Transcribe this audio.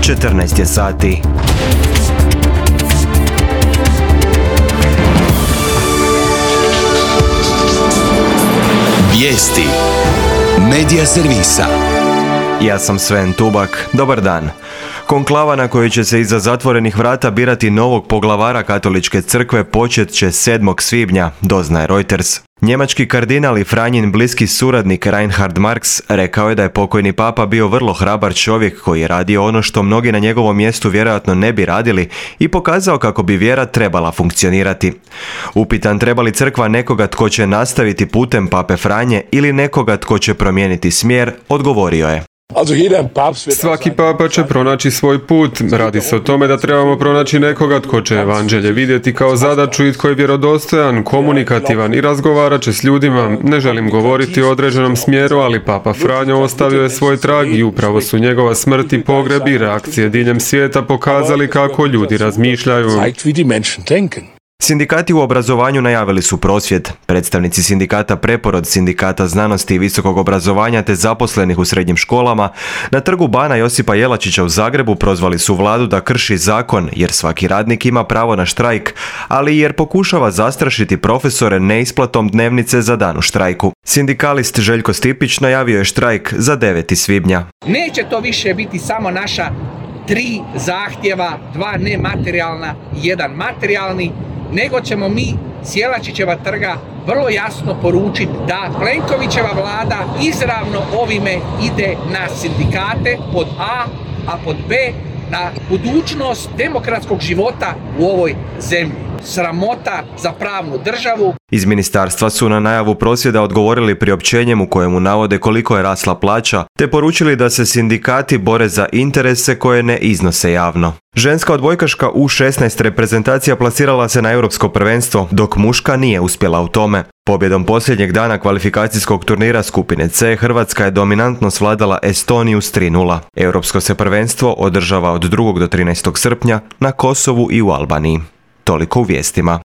14 je sati. Vijesti Medija servisa. Ja sam Sven Tubak. Dobar dan. Konklava na kojoj će se iza zatvorenih vrata birati novog poglavara Katoličke crkve počet će 7. svibnja, doznaje Reuters. Njemački kardinal i Franjin bliski suradnik Reinhard Marx rekao je da je pokojni papa bio vrlo hrabar čovjek koji je radio ono što mnogi na njegovom mjestu vjerojatno ne bi radili i pokazao kako bi vjera trebala funkcionirati. Upitan treba li crkva nekoga tko će nastaviti putem pape Franje ili nekoga tko će promijeniti smjer, odgovorio je: Svaki papa će pronaći svoj put. Radi se o tome da trebamo pronaći nekoga tko će evanđelje vidjeti kao zadaću i tko je vjerodostojan, komunikativan i razgovarat će s ljudima. Ne želim govoriti o određenom smjeru, ali papa Franjo ostavio je svoj trag i upravo su njegova smrt i pogreb i reakcije diljem svijeta pokazali kako ljudi razmišljaju. Sindikati u obrazovanju najavili su prosvjed. Predstavnici sindikata Preporod, Sindikata znanosti i visokog obrazovanja te zaposlenih u srednjim školama na trgu Bana Josipa Jelačića u Zagrebu prozvali su vladu da krši zakon jer svaki radnik ima pravo na štrajk, ali i jer pokušava zastrašiti profesore neisplatom dnevnice za dan u štrajku. Sindikalist Željko Stipić najavio je štrajk za 9. svibnja. Neće to više biti samo naša 3 zahtjeva, 2 nematerijalna i 1 materijalni, nego ćemo mi s Jelačićeva trga vrlo jasno poručiti da Plenkovićeva vlada izravno ovime ide na sindikate pod a pod B na budućnost demokratskog života u ovoj zemlji. Sramota za pravnu državu. Iz ministarstva su na najavu prosvjeda odgovorili priopćenjem u kojemu navode koliko je rasla plaća, te poručili da se sindikati bore za interese koje ne iznose javno. Ženska odbojkaška U16 reprezentacija plasirala se na europsko prvenstvo, dok muška nije uspjela u tome. Pobjedom posljednjeg dana kvalifikacijskog turnira skupine C, Hrvatska je dominantno svladala Estoniju s 3:0. Europsko se prvenstvo održava od 2. do 13. srpnja na Kosovu i u Albaniji. Toliko u vijestima.